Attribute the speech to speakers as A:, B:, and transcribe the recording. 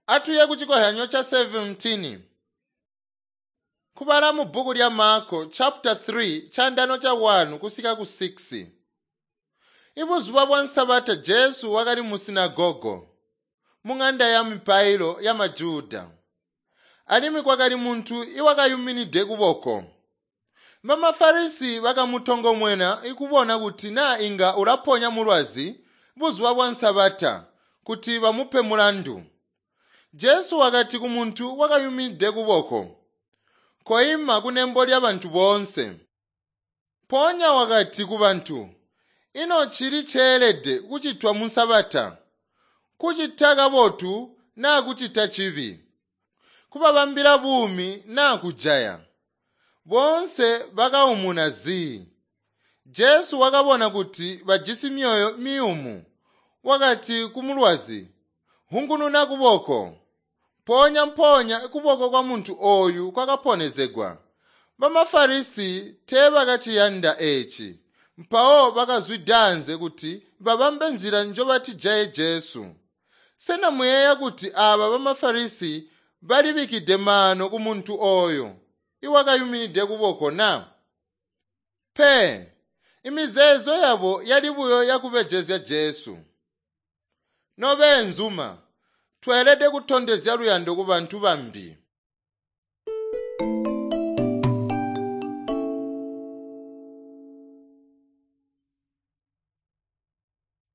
A: Atuye kucikozyanyo ca 17. Kubala mu bbuku lya Marko chapter 3 chandano cha 1 kusika ku 6. Ibuzuba bwa Nsabata Jesu wakali mu sinagogo mung'anda ya mipailo ya maJuda. Alimwi kwakali muntu iwakayuminide kuboko. Bamafarisi bakamutongomwena ikubona kuti naa inga ulaponya mulwazi buzuba bwa Nsabata kuti bamupe mulandu. Jesu wakati kumuntu wakayumide kuboko, "Koima kunembo lyabantu boonse." Mpoonya wakati kubantu, "Ino cili ceelede kucitwa mu Nsabata? Kucita kabotu naa kucita cibi? Kubabambila buumi naa kujaya?" Boonse bakaumuna zii. Jesu wakabona kuti bajisi myoyo miyumu. Wakati kumulwazi, "Hungununa kuboko." Mpoonya-mpoonya kuboko kwa muntu ooyu kwakaponezegwa. Bamafarisi teebakaciyanda eeci, mpawo bakazwidaanze kuti babambe nzila njobatijaye Jesu. Sena muyeeya kuti aaba bamafarisi balibikkide maano kumuntu ooyo iwakayuminide kuboko na? Pe, imizeezo yabo yali buyo yakubejezya Jesu. Nobeenzuma, tweelede kutondezya luyando kubantu bambi.